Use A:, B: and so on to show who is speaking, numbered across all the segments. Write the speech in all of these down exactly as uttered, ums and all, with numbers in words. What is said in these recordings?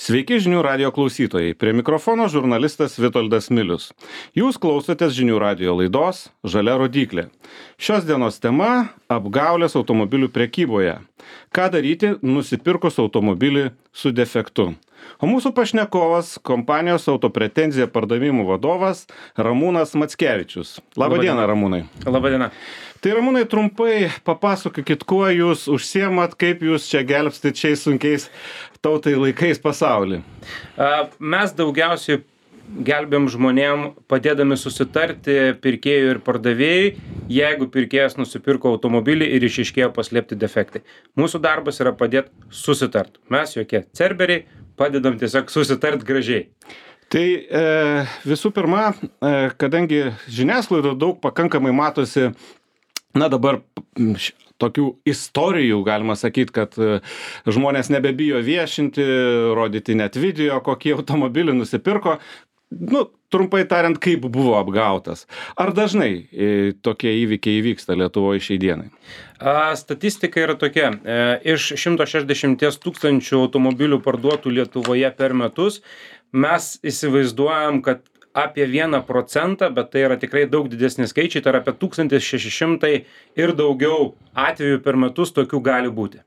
A: Sveiki žinių radijo klausytojai. Prie mikrofono žurnalistas Vitoldas Milius. Jūs klausotės žinių radijo laidos Žalia rodyklė. Šios dienos tema – apgaulės automobilių prekyboje. Ką daryti nusipirkus automobilį su defektu? O mūsų pašnekovas – kompanijos Autopretenzija pardavimų vadovas Ramūnas Mackevičius. Labą dieną, Ramūnai.
B: Labą dieną.
A: Tai Ramūnai, trumpai papasakokit, kuo jūs užsiemat, kaip jūs čia gelbstit šiais sunkiais tautai laikais pasaulį.
B: Mes daugiausiai gelbėm žmonėm, padėdami susitarti pirkėjui ir pardavėjui, jeigu pirkėjas nusipirko automobilį ir išiškėjo paslėpti defektai. Mūsų darbas yra padėti susitart. Mes jokie cerberiai, padedam tiesiog susitart gražiai.
A: Tai e, visų pirma, e, kadangi žiniasklaidoje daug pakankamai matosi, na dabar š, tokių istorijų, galima sakyti, kad e, žmonės nebebijo viešinti, rodyti net video, kokį automobilį nusipirko. Nu, trumpai tariant, kaip buvo apgautas. Ar dažnai e, tokie įvykiai įvyksta Lietuvoje šiai dienai?
B: A, statistika yra tokia. E, iš šimto šešiasdešimt tūkstančių automobilių parduotų Lietuvoje per metus, mes įsivaizduojam, kad apie vieną procentą, bet tai yra tikrai daug didesni skaičiai, tai yra apie tūkstantis šeši šimtai ir daugiau atvejų per metus tokių gali būti.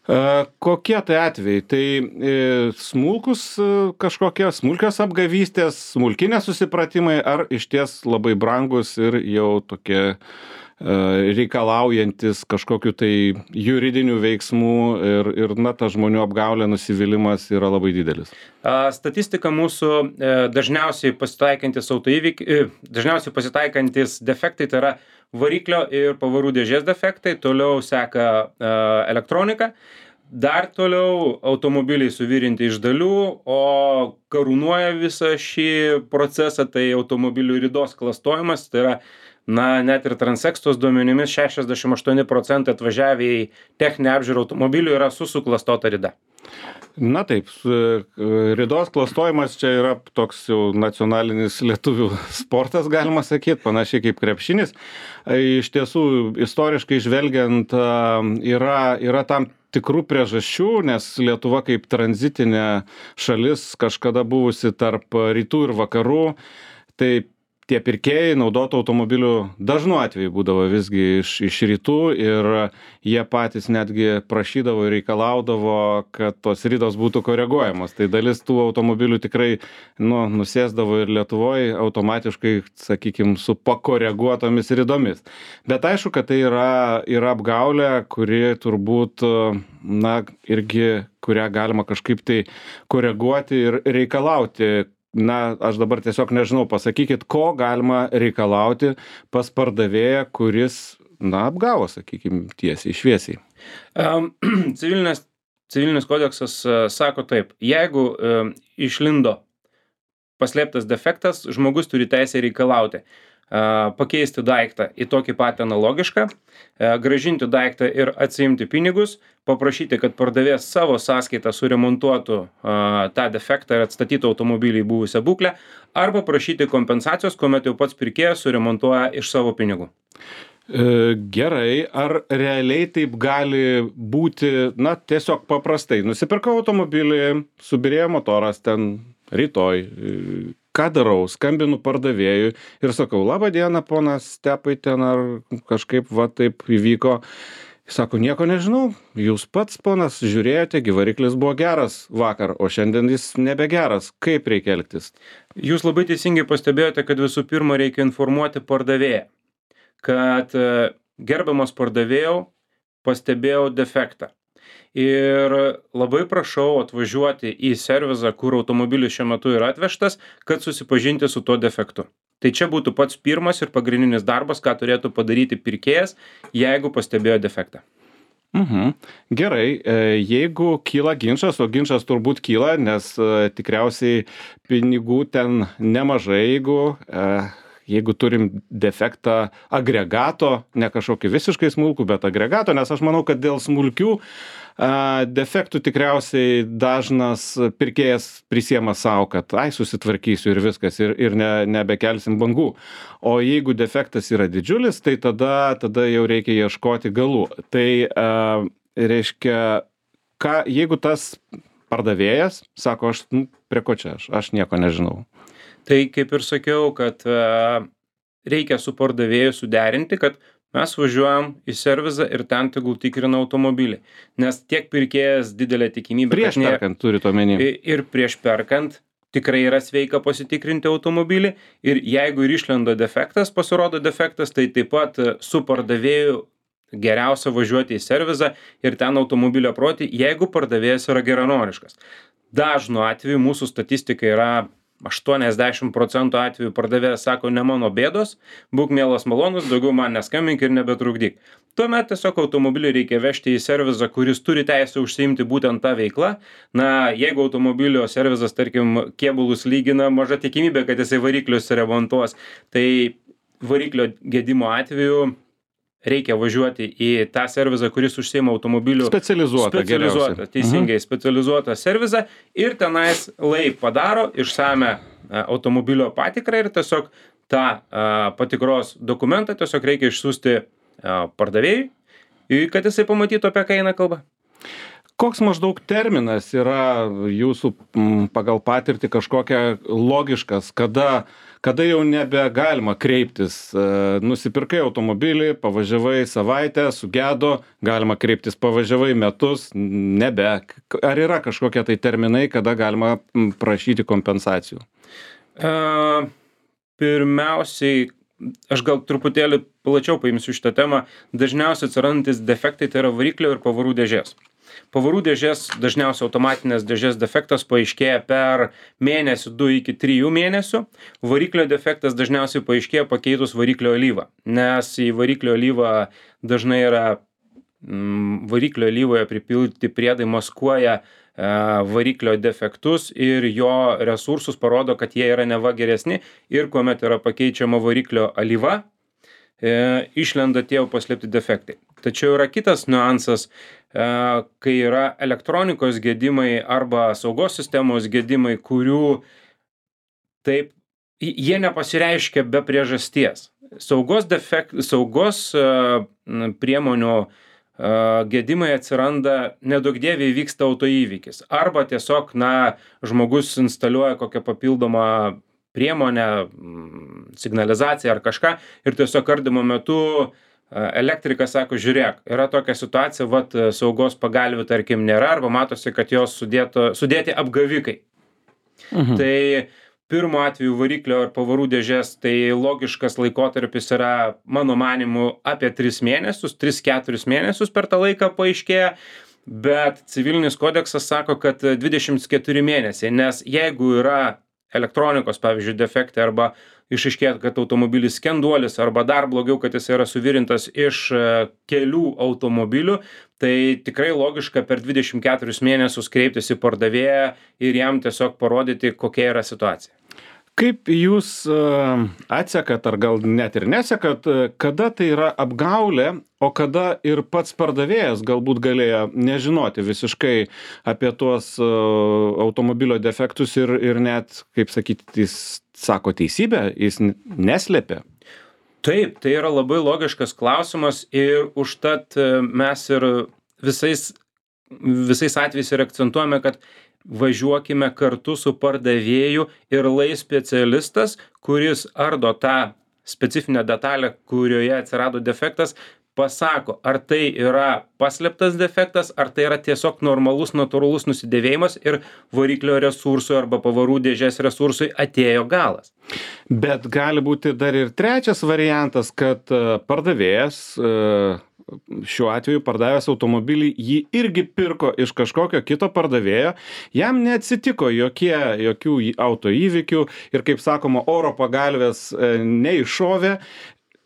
A: E, kokie tai atvejai? Tai e, smulkus e, kažkokie smulkios apgavystės, smulkinės susipratimai, ar išties labai brangus ir jau tokie e, reikalaujantis kažkokiu tai juridinių veiksmų ir, ir na, ta žmonių apgaulė, nusivylimas yra labai didelis.
B: A, statistika mūsų e, dažniausiai pasitaikantis autoįvykiai, e, dažniausiai pasitaikantis defektai, tai yra variklio ir pavarų dėžės defektai, toliau seka e, elektronika, dar toliau automobiliai suvirinti iš dalių, o karūnuoja visą šį procesą, tai automobilių ridos klastojimas, tai yra na, net ir Transextos duomenimis šešiasdešimt aštuoni procentai atvažiavę į techninę apžiūrą automobilių yra su suklastota rida.
A: Na taip, ridos klastojimas čia yra toks jau nacionalinis lietuvių sportas, galima sakyti, panašiai kaip krepšinis. Iš tiesų, istoriškai žvelgiant, yra, yra tam tikrų priežasčių, nes Lietuva kaip tranzitinė šalis kažkada buvusi tarp rytų ir vakarų, tai tie pirkėjai naudotų automobilių dažnu atveju būdavo visgi iš, iš rytų ir jie patys netgi prašydavo ir reikalaudavo, kad tos ridos būtų koreguojamos. Tai dalis tų automobilių tikrai nu, nusėsdavo ir Lietuvoje automatiškai, sakykime, su pakoreguotomis ridomis. Bet aišku, kad tai yra, yra apgaulė, kuri turbūt, na, irgi, kurią galima kažkaip tai koreguoti ir reikalauti. Na, aš dabar tiesiog nežinau, pasakykit, ko galima reikalauti pas pardavėją, kuris, na, apgavo, sakykime, tiesiai, šviesiai.
B: Um, civilinės, civilinis kodeksas uh, sako taip, jeigu uh, išlindo paslėptas defektas, žmogus turi teisę reikalauti uh, pakeisti daiktą į tokį patį analogišką, uh, grąžinti daiktą ir atsiimti pinigus, paprašyti, kad pardavėjas savo sąskaitą suremontuotų a, tą defektą ir atstatytų automobilį į buvusią būklę, arba prašyti kompensacijos, kuomet jau pats pirkėjas suremontuoja iš savo pinigų.
A: E, gerai, ar realiai taip gali būti, na, tiesiog paprastai. Nusipirkau automobilį, subirėjo motoras ten rytoj, ką darau, skambinu pardavėjui ir sakau, labą dieną, ponas Stepai, ten ar kažkaip va taip įvyko. Sako, nieko nežinau, jūs pats, ponas, žiūrėjote, variklis buvo geras vakar, o šiandien jis nebegeras. Kaip reikia elgtis?
B: Jūs labai teisingai pastebėjote, kad visų pirma reikia informuoti pardavėją, kad gerbiamas pardavėjau, pastebėjau defektą. Ir labai prašau atvažiuoti į servizą, kur automobilis šiuo metu yra atvežtas, kad susipažinti su tuo defektu. Tai čia būtų pats pirmas ir pagrindinis darbas, ką turėtų padaryti pirkėjas, jeigu pastebėjo defektą.
A: Mhm. Gerai, jeigu kyla ginčas, o ginčas turbūt kyla, nes tikriausiai pinigų ten nemažai, jeigu, jeigu turim defektą agregato, ne kažkokį visiškai smulkų, bet agregato, nes aš manau, kad dėl smulkių defektų tikriausiai dažnas pirkėjas prisiema savo, kad ai susitvarkysiu ir viskas ir, ir ne, nebekelsim bangų. O jeigu defektas yra didžiulis, tai tada, tada jau reikia ieškoti galų. Tai a, reiškia, ką, jeigu tas pardavėjas sako, aš nu, prie ko čia aš, aš nieko nežinau.
B: Tai kaip ir sakiau, kad uh, reikia su pardavėju suderinti, kad mes važiuojam į servizą ir ten tegul tikrina automobilį. Nes tiek pirkėjas didelė tikimybė.
A: Prieš perkant turi to menį.
B: Ir prieš perkant tikrai yra sveika pasitikrinti automobilį. Ir jeigu ir išlenda defektas, pasirodo defektas, tai taip pat su pardavėju geriausia važiuoti į servizą ir ten automobilio aproti, jeigu pardavėjas yra geranoriškas. Dažnu atveju mūsų statistika yra aštuoniasdešimt procentų atvejų pardavėjas sako, ne mano bėdos, būk mielas malonus, daugiau man neskambink ir nebetrukdyk. Tuomet tiesiog automobilį reikia vežti į servizą, kuris turi teisę užsiimti būtent tą veiklą. Na, jeigu automobilio servizas, tarkim, kėbulus lygina, maža tikimybė, kad jisai variklius remontuos, tai variklio gedimo atveju reikia važiuoti į tą servizą, kuris užsiima automobilių
A: specializuotą,
B: specializuotą teisingai, mhm. specializuotą servizą ir tenais lai padaro išsame automobilio patikrą ir tiesiog tą a, patikros dokumentą tiesiog reikia išsiųsti a, pardavėjui, kad jisai pamatytų, apie ką eina kalba.
A: Koks maždaug terminas yra jūsų m, pagal patirtį kažkokia logiškas, kada, kada jau nebegalima kreiptis? E, nusipirkai automobilį, pavažiavai savaitę, sugedo, galima kreiptis, pavažiavai metus, nebe. Ar yra kažkokie tai terminai, kada galima prašyti kompensacijų?
B: E, pirmiausiai, aš gal truputėlį plačiau paimsiu šitą temą. Dažniausiai atsirandantis defektai tai yra variklio ir pavarų dėžės. Pavarų dėžės, dažniausiai automatinės dėžės defektas paaiškėja per mėnesį du iki trijų mėnesių. Variklio defektas dažniausiai paaiškėja pakeitus variklio alyvą, nes į variklio alyvą dažnai yra mm, variklio alyvoje pripilti priedai maskuoja e, variklio defektus ir jo resursus parodo, kad jie yra neva geresni ir kuomet yra pakeičiama variklio alyva, e, išlenda tie jau paslėpti defektai. Tačiau yra kitas niuansas, e, kai yra elektronikos gedimai arba saugos sistemos gedimai, kurių taip, jie nepasireiškia be priežasties. Saugos, defekt, saugos e, priemonių e, gedimai atsiranda, nedaug dieviai vyksta autoįvykis. Arba tiesiog, na, žmogus instaliuoja kokią papildomą priemonę, signalizaciją ar kažką ir tiesiog ardymo metu elektrikas sako, žiūrėk, yra tokia situacija, vat saugos pagalvių tarkim nėra, arba matosi, kad jos sudėto, sudėti apgavikai. Mhm. Tai pirmo atveju variklio ar pavarų dėžės, tai logiškas laikotarpis yra, mano manimu, apie tris mėnesius, tris keturis mėnesius per tą laiką paaiškėja, bet civilinis kodeksas sako, kad dvidešimt keturi mėnesiai, nes jeigu yra elektronikos, pavyzdžiui, defektai arba išaiškėja, kad automobilis skenduolis arba dar blogiau, kad jis yra suvirintas iš kelių automobilių, tai tikrai logiška per dvidešimt keturis mėnesius kreiptis į pardavėją ir jam tiesiog parodyti, kokia yra situacija.
A: Kaip jūs atsekat, ar gal net ir nesekat, kada tai yra apgaulė, o kada ir pats pardavėjas galbūt galėjo nežinoti visiškai apie tuos automobilio defektus ir, ir net, kaip sakyti, jis sako teisybę, jis neslėpė?
B: Taip, tai yra labai logiškas klausimas ir užtat mes ir visais, visais atvejais ir akcentuojame, kad važiuokime kartu su pardavėju ir lai specialistas, kuris ardo tą specifinę detalę, kurioje atsirado defektas, pasako, ar tai yra paslėptas defektas, ar tai yra tiesiog normalus, natūralus nusidėvėjimas ir variklio resursui arba pavarų dėžės resursui atėjo galas.
A: Bet gali būti dar ir trečias variantas, kad pardavėjas, šiuo atveju pardavęs automobilį, jį irgi pirko iš kažkokio kito pardavėjo, jam neatsitiko jokie, jokių autoįvykių ir, kaip sakoma, oro pagalvės neiššovė,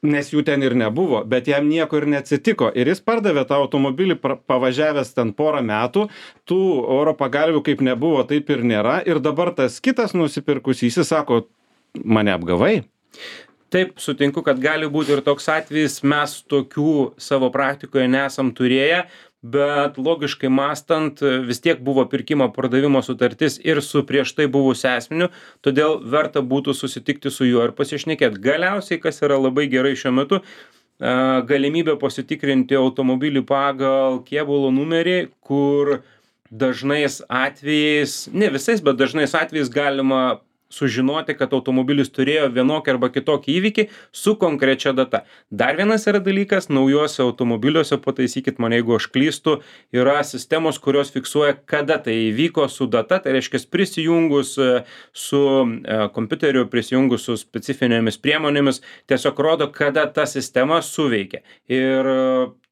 A: nes jų ten ir nebuvo, bet jam nieko ir neatsitiko. Ir jis pardavė tą automobilį pavažiavęs ten porą metų, tų oro pagalvių kaip nebuvo, taip ir nėra. Ir dabar tas kitas nusipirkusysis sako, mane apgavai.
B: Taip, sutinku, kad gali būti ir toks atvejis, mes tokių savo praktikoje nesam turėję, bet logiškai mąstant vis tiek buvo pirkimo pardavimo sutartis ir su prieš tai buvusiu asmeniu, todėl verta būtų susitikti su juo ir pasišnekėti. Galiausiai, kas yra labai gerai šiuo metu, galimybė pasitikrinti automobilį pagal kėbulo numerį, kur dažnais atvejais, ne visais, bet dažnais atvejais galima sužinoti, kad automobilis turėjo vienokį arba kitokį įvykį su konkrečia data. Dar vienas yra dalykas, naujuose automobiliuose, pataisykit mane, jeigu aš klystu, yra sistemos, kurios fiksuoja, kada tai įvyko su data, tai reiškia prisijungus su kompiuteriu, prisijungus su specifinėmis priemonėmis, tiesiog rodo, kada ta sistema suveikia. Ir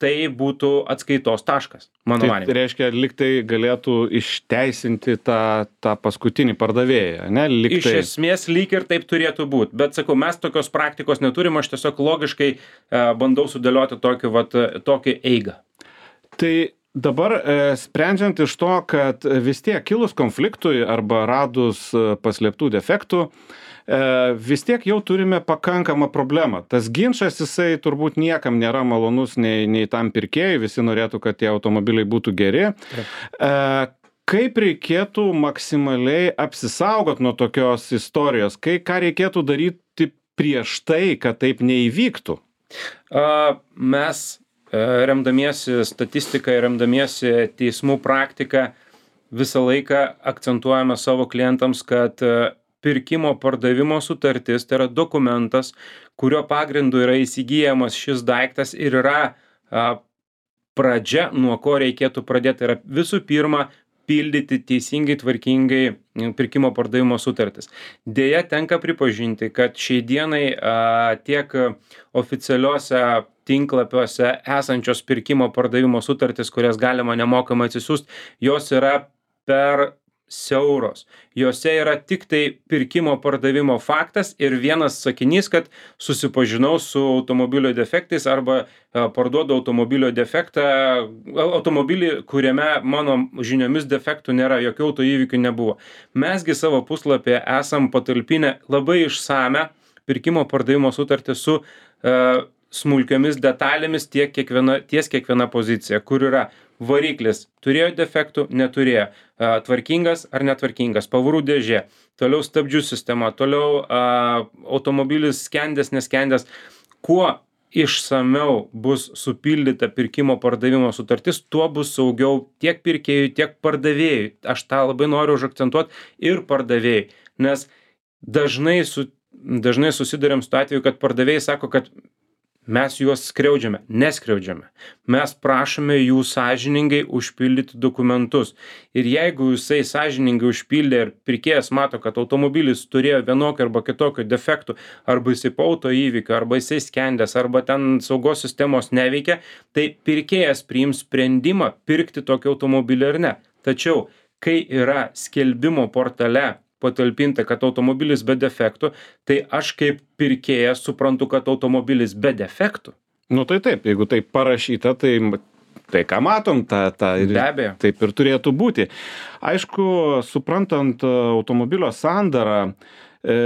B: tai būtų atskaitos taškas, mano manymu.
A: Tai reiškia, lyg tai galėtų išteisinti tą, tą paskutinį pardavėją, ne? Lyg
B: Iš
A: tai...
B: esmės lyg ir taip turėtų būti, bet sakau, mes tokios praktikos neturim, aš tiesiog logiškai uh, bandau sudėlioti tokį, vat, tokį eigą.
A: Tai dabar e, sprendžiant iš to, kad vis tiek kilus konfliktui arba radus paslėptų defektų, e, vis tiek jau turime pakankamą problemą. Tas ginčas, jisai turbūt niekam nėra malonus nei, nei tam pirkėjui, visi norėtų, kad tie automobiliai būtų geri. E, kaip reikėtų maksimaliai apsisaugot nuo tokios istorijos? Kai, ką reikėtų daryti prieš tai, kad taip neįvyktų?
B: Uh, mes remdamiesi statistiką ir remdamiesi teismų praktiką visą laiką akcentuojame savo klientams, kad pirkimo pardavimo sutartis tai yra dokumentas, kurio pagrindu yra įsigyjamas šis daiktas ir yra a, pradžia, nuo ko reikėtų pradėti. Tai yra visų pirma pildyti teisingai, tvarkingai pirkimo pardavimo sutartis. Deja, tenka pripažinti, kad šiai dienai a, tiek oficialiuose tinklapiuose esančios pirkimo pardavimo sutartis, kurias galima nemokamai atsisiųsti, jos yra per siauros. Jose yra tik tai pirkimo pardavimo faktas ir vienas sakinys, kad susipažinau su automobilio defektais arba parduodu automobilio defektą, automobilį, kuriame mano žiniomis defektų nėra, jokių autoįvykių nebuvo. Mesgi savo puslapyje esam patalpinę labai išsame pirkimo pardavimo sutartį su uh, smulkiomis detalėmis tiek kiekviena, ties kiekviena pozicija, kur yra variklis, turėjo defektų, neturėjo, a, tvarkingas ar netvarkingas, pavarų dėžė, toliau stabdžių sistema, toliau a, automobilis skendęs, neskendęs. Kuo išsamiau bus supildyta pirkimo pardavimo sutartis, tuo bus saugiau tiek pirkėjui, tiek pardavėjui. Aš tą labai noriu užakcentuoti ir pardavėjui, nes dažnai, su, dažnai susidurėm su atveju, kad pardavėjai sako, kad mes juos skriaudžiame, neskriaudžiame. Mes prašome jų sąžiningai užpildyti dokumentus. Ir jeigu jisai sąžiningai užpildė ir pirkėjas mato, kad automobilis turėjo vienokio arba kitokio defektų, arba jisai po autoįvykio, arba jisai skendęs, arba ten saugos sistemos neveikia, tai pirkėjas priims sprendimą pirkti tokį automobilį ar ne. Tačiau, kai yra skelbimo portale patalpinta, kad automobilis be defektų, tai aš kaip pirkėjas suprantu, kad automobilis be defektų.
A: Nu tai taip, jeigu tai parašyta, tai, tai ką matom, ta, ta,
B: Be abejo.
A: taip ir turėtų būti. Aišku, suprantant automobilio sandarą, e,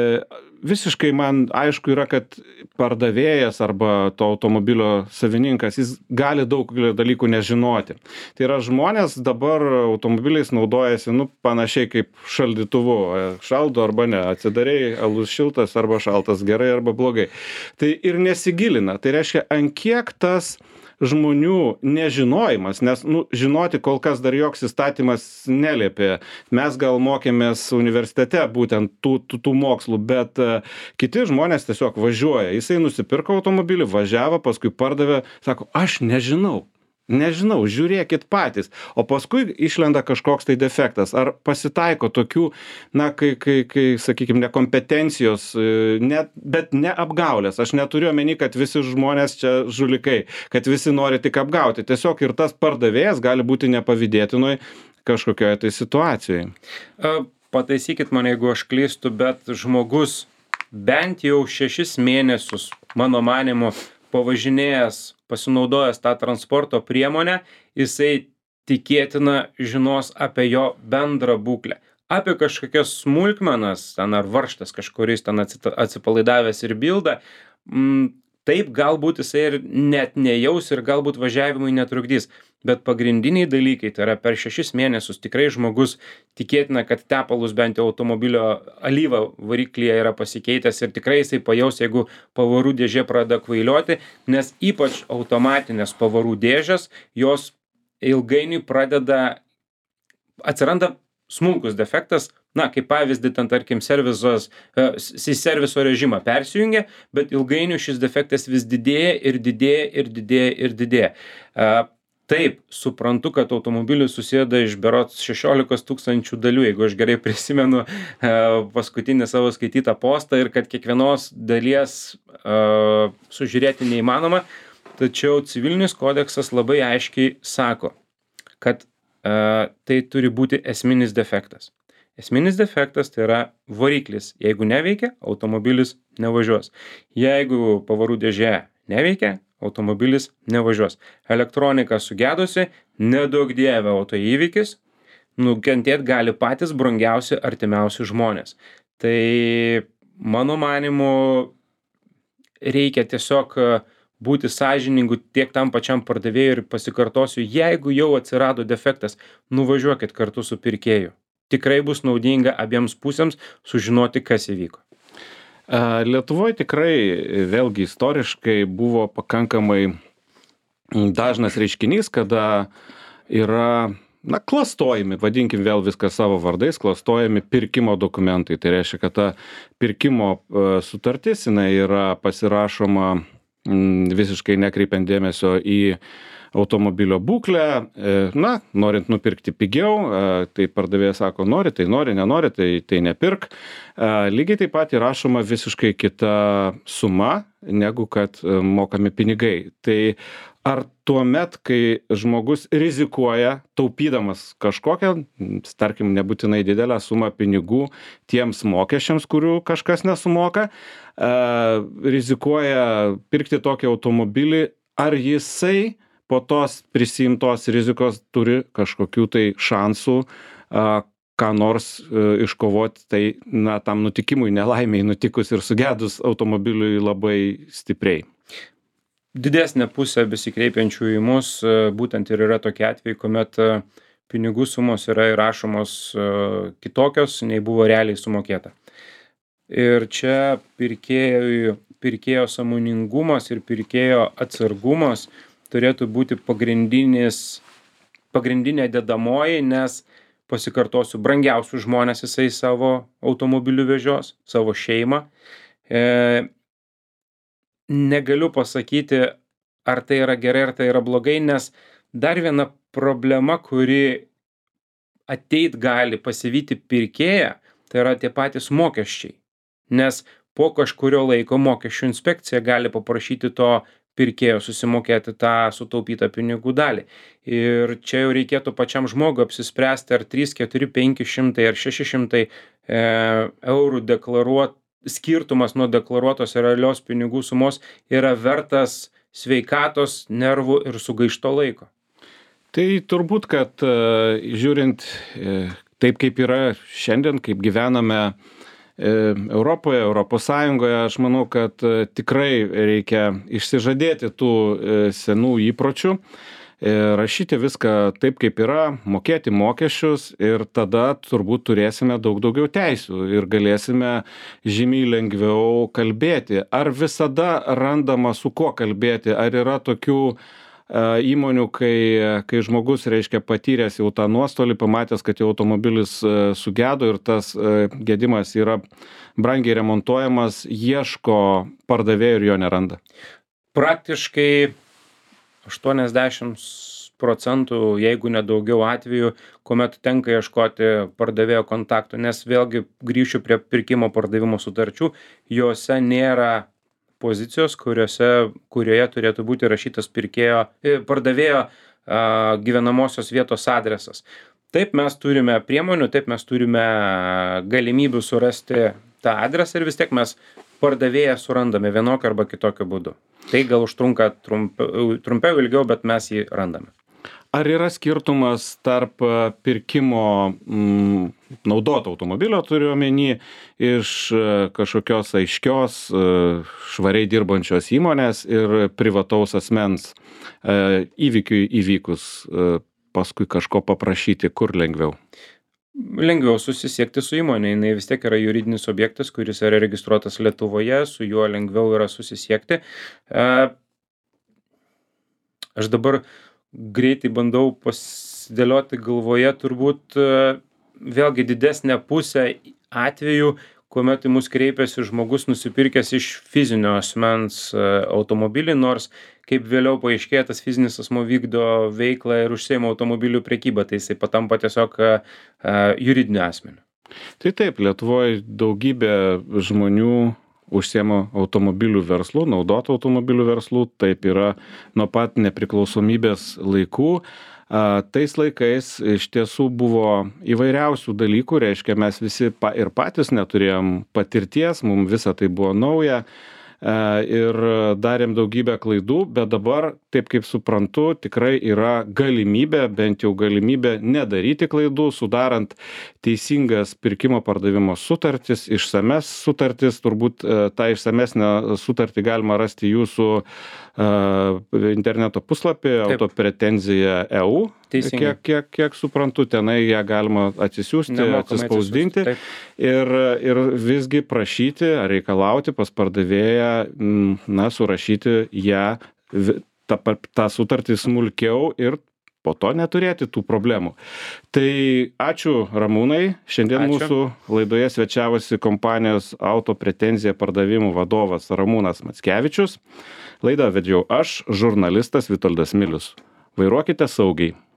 A: visiškai man aišku yra, kad pardavėjas arba to automobilio savininkas, jis gali daug dalykų nežinoti. Tai yra žmonės dabar automobiliais naudojasi, nu, panašiai kaip šaldytuvu. Šaldo arba ne, atsidarei, alus šiltas arba šaltas, gerai arba blogai. Tai ir nesigilina. Tai reiškia, ant kiek tas žmonių nežinojimas, nes, nu, žinoti kol kas dar joks įstatymas neliepė. Mes gal mokėmės universitete būtent tų, tų, tų mokslų, bet uh, kiti žmonės tiesiog važiuoja. Jisai nusipirko automobilį, važiavo, paskui pardavė, sako, aš nežinau. Nežinau, žiūrėkit patys. O paskui išlenda kažkoks tai defektas. Ar pasitaiko tokių, na, kai, kai, kai sakykime, nekompetencijos, net, bet ne apgaulės. Aš neturiu omeny, kad visi žmonės čia žulikai, kad visi nori tik apgauti. Tiesiog ir tas pardavėjas gali būti nepavydėtinoj kažkokioje tai situacijoje.
B: Pataisykit mane, jeigu aš klystu, bet žmogus bent jau šešis mėnesius, mano manimu, pavažinėjęs, pasinaudojęs tą transporto priemonę, jisai tikėtina žinos apie jo bendrą būklę. Apie kažkokias smulkmenas, ten ar varžtas kažkuris ten atsipalaidavęs ir bilda, m, taip galbūt jisai ir net nejaus ir galbūt važiavimui netrukdys. Bet pagrindiniai dalykai, tai yra per šešis mėnesius tikrai žmogus tikėtina, kad tepalus bent jau automobilio alyva variklyje yra pasikeitęs ir tikrai jisai pajaus, jeigu pavarų dėžė pradeda kvailioti, nes ypač automatinės pavarų dėžės, jos ilgainiui pradeda atsiranda smulkus defektas, na, kaip pavyzdį, ten, tarkim, servizos, į serviso režimą persijungia, bet ilgainiui šis defektas vis didėja ir didėja ir didėja ir didėja. Taip, suprantu, kad automobilis susideda iš berods šešiolikos tūkstančių dalių, jeigu aš gerai prisimenu paskutinį savo skaitytą postą ir kad kiekvienos dalies uh, sužiūrėti neįmanoma, tačiau civilinis kodeksas labai aiškiai sako, kad uh, tai turi būti esminis defektas. Esminis defektas tai yra variklis. Jeigu neveikia, automobilis nevažiuos. Jeigu pavarų dėžė neveikia, automobilis nevažiuos. Elektronika sugedusi, nedaug dieve autoįvykis, nukentėti gali patys brangiausi artimiausi žmonės. Tai mano manimu reikia tiesiog būti sąžiningu tiek tam pačiam pardavėjui ir pasikartosiu, jeigu jau atsirado defektas, nuvažiuokit kartu su pirkėju. Tikrai bus naudinga abiems pusėms sužinoti, kas įvyko.
A: Lietuvoje tikrai, vėlgi istoriškai, buvo pakankamai dažnas reiškinys, kada yra, na, klastojami, vadinkim vėl viską savo vardais, klastojami pirkimo dokumentai. Tai reiškia, kad ta pirkimo sutartis, jinai yra pasirašoma visiškai nekreipiant dėmesio į automobilio būklę, na, norint nupirkti pigiau, tai pardavėjas sako, nori, tai nori, nenori, tai, tai nepirk. Lygiai taip pat įrašoma visiškai kita suma, negu kad mokami pinigai. Tai ar tuomet, kai žmogus rizikuoja, taupydamas kažkokią, tarkim, nebūtinai didelę sumą pinigų tiems mokesčiams, kurių kažkas nesumoka, rizikuoja pirkti tokį automobilį, ar jisai po tos prisiimtos rizikos turi kažkokių tai šansų a, ką nors a, iškovoti, tai na, tam nutikimui, nelaimiai nutikus ir sugedus automobiliui labai stipriai.
B: Didesnė pusė besikreipiančių į mus būtent ir yra tokie atvejai, kuomet pinigų sumos yra įrašomos kitokios, nei buvo realiai sumokėta. Ir čia pirkėjo, pirkėjo sąmoningumas ir pirkėjo atsargumas turėtų būti pagrindinis, pagrindinė dedamoji, nes pasikartosiu, brangiausius žmonės jisai savo automobilių vežios, savo šeimą. E, negaliu pasakyti, ar tai yra gerai, ar tai yra blogai, nes dar viena problema, kuri ateit gali pasivyti pirkėją, tai yra tie patys mokesčiai. Nes po kažkurio laiko mokesčių inspekcija gali paprašyti to pirkėjo susimokėti tą sutaupytą pinigų dalį. Ir čia jau reikėtų pačiam žmogui apsispręsti, ar trys, keturi, penki šimtai ar šeši šimtai e, eurų deklaruot, skirtumas nuo deklaruotos realios pinigų sumos yra vertas sveikatos, nervų ir sugaišto laiko.
A: Tai turbūt, kad žiūrint taip, kaip yra šiandien, kaip gyvename Europoje, Europos Sąjungoje, aš manau, kad tikrai reikia išsižadėti tų senų įpročių, rašyti viską taip, kaip yra, mokėti mokesčius ir tada turbūt turėsime daug daugiau teisių ir galėsime žymiai lengviau kalbėti. Ar visada randama su kuo kalbėti, ar yra tokių įmonių, kai, kai žmogus, reiškia, patyręs jau tą nuostolį, pamatęs, kad jau automobilis sugedo ir tas gedimas yra brangiai remontuojamas, ieško pardavėjų ir jo neranda?
B: Praktiškai aštuoniasdešimt procentų, jeigu nedaugiau atvejų, kuomet tenka ieškoti pardavėjo kontaktų, nes vėlgi grįšiu prie pirkimo pardavimo sutarčių, juose nėra pozicijos, kuriuose, kurioje turėtų būti rašytas pirkėjo, pardavėjo a, gyvenamosios vietos adresas. Taip mes turime priemonių, taip mes turime galimybių surasti tą adresą ir vis tiek mes pardavėją surandame vienokiu arba kitokiu būdu. Tai gal užtrunka trumpiau, trumpiau ilgiau, bet mes jį randame.
A: Ar yra skirtumas tarp pirkimo mm, naudoto automobilio, turiu omeny, iš kažkokios aiškios, švariai dirbančios įmonės ir privataus asmens įvykiui įvykus, paskui kažko paprašyti, kur lengviau?
B: Lengviau susisiekti su įmonė, jinai vis tiek yra juridinis objektas, kuris yra registruotas Lietuvoje, su juo lengviau yra susisiekti. Aš dabar greitai bandau pas, dėlioti galvoje turbūt vėlgi didesnė pusė atvejų, kuomet į mus kreipiasi žmogus nusipirkęs iš fizinio asmens automobilį, nors kaip vėliau paaiškėja, tas fizinis asmuo vykdo veiklą ir užsiima automobilių prekybą, tai jisai patampa tiesiog juridiniu asmeniu.
A: Tai taip, Lietuvoje daugybė žmonių užsiema automobilių verslų, naudotų automobilių verslų, taip yra nuo pat nepriklausomybės laikų. Tais laikais iš tiesų buvo įvairiausių dalykų, reiškia, mes visi pa, ir patys neturėjom patirties, mums visa tai buvo nauja ir darėm daugybę klaidų, bet dabar, taip kaip suprantu, tikrai yra galimybė, bent jau galimybė nedaryti klaidų, sudarant teisingas pirkimo pardavimo sutartis, išsames sutartis, turbūt tą išsamesnę sutartį galima rasti jūsų interneto puslapį autopretenzija taškas e u. Kiek, kiek, kiek suprantu, tenai ją galima atsisiųsti, atsispausdinti ir, ir visgi prašyti ar reikalauti pas pardavėją, na, surašyti ją, tą, tą sutartį smulkiau ir po to neturėti tų problemų. Tai ačiū Ramūnai. Šiandien ačiū. Mūsų laidoje svečiavosi kompanijos Autopretenzija pardavimų vadovas Ramūnas Mackevičius. Laidą vedžiau aš, žurnalistas Vitoldas Milius. Vairuokite saugiai.